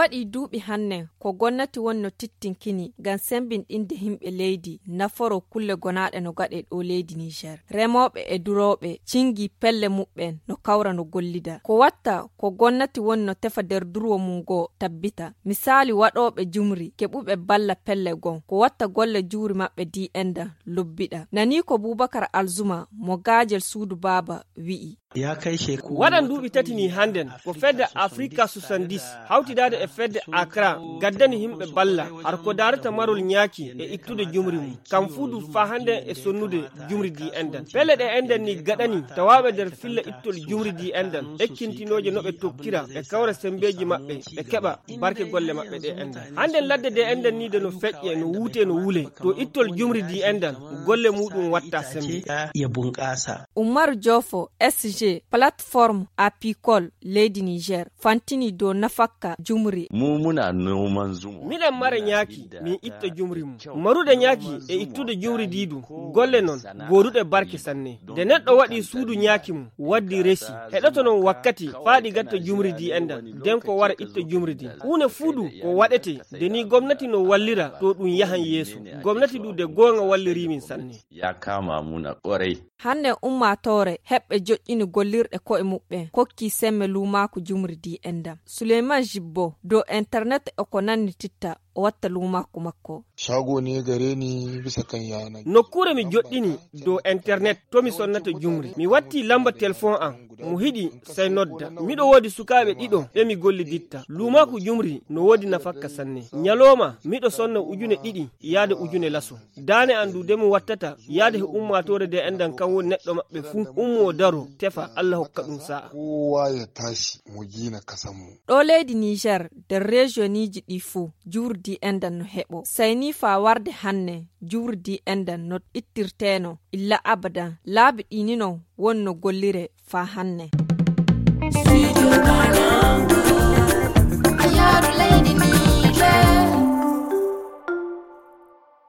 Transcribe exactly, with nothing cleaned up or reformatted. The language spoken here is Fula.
Waɗii duuɓi hannden ko gonnati woni no tittinkini ngam semmbinɗinde yimɓe leydi naforoo kulle gonaaɗe no gaɗee ɗo leydi Niijeer. Remooɓe e durooɓe cingii pelle muɓɓen no kawra no gollida. Ko watta ko gonnati woni no tefa nder durwo mum ngoo tabbita. Misaali waɗooɓe jumri keɓuɓe balla pelle goo. Ko watta golle jumri maɓɓe di endan lobbiɗa. Nanii ko Buubakar Alzuma mo gaajel suudu baaba wi'i. Waɗan duuɓi tati ni hannden ko fedde Afrika soixante-dix hawtidaade e fedde Akra gaddani yimɓe balla har ko daarata marol ñaaki e ittude jumri mum. Kam fuu du faa hannden e sonnude jumri di endan. Pelle ɗe endan ni gaɗani tawaaɓe nder filla ittol jumri di endan ekkintinooje no ɓe tokkira ɓe kawra semmbeeji maɓɓe ɓe keɓa barke golle maɓɓe ɗe endan. Hannden ladde de endan ni de no feƴƴe no wuute no wule to ittol jumri di endan golle muɗum watta semmbe. Umaru Joofo S G plateforme apicole leydi Niijeer fantinii dow nafakka jumri. Miɗen mara ñaaki min itta jumri mum. Marude ñaaki e ittude jumri di du golle non gooduɗe barke sanne. Nde neɗɗo waɗii suudu ñaaki mum waddi resi heɗoto non wakkati faa ɗi gatta jumri di endan nden ko wara itta jumri di. Huunde fuu du ko waɗetee nde nii gomnati no wallira to ɗum yahan yeeso. Gomnati du de goonga wallirii min sanne. Hannden ummaatoore heɓɓe joƴƴini gollirɗe ko'e muɓɓen kokkii semme luumaaku jumri di endan. Suleyman Jibbo dow internet e ko nanni titta o watta luumaaku makko. Nokkuure mi joɗɗini dow internet to mi sonnata jumri mi wattii lamba telefon an. Mo hiɗi sey nodda. Miɗo woodi sukaaɓe ɗiɗo ɓe mi golliditta luumaaku jumri no woodi nafakka sanne. Ñalooma miɗo sonna ujune ɗiɗi yaade ujune laso. Daane an du de mo wattata yaade he ummaatoore de endan kan woni neɗɗo maɓɓe fuu ummoo daroo tefa Alla hokka ɗum saa'a. Ɗo leydi Niijeer nder reesiyonniiji ɗii fuu jumri di endan no heɓoo. Sey nii faa warde hannden jumri di endan no ittirteenoo illa abadan. Laabi ɗii ni non woni no golliree faa hannden.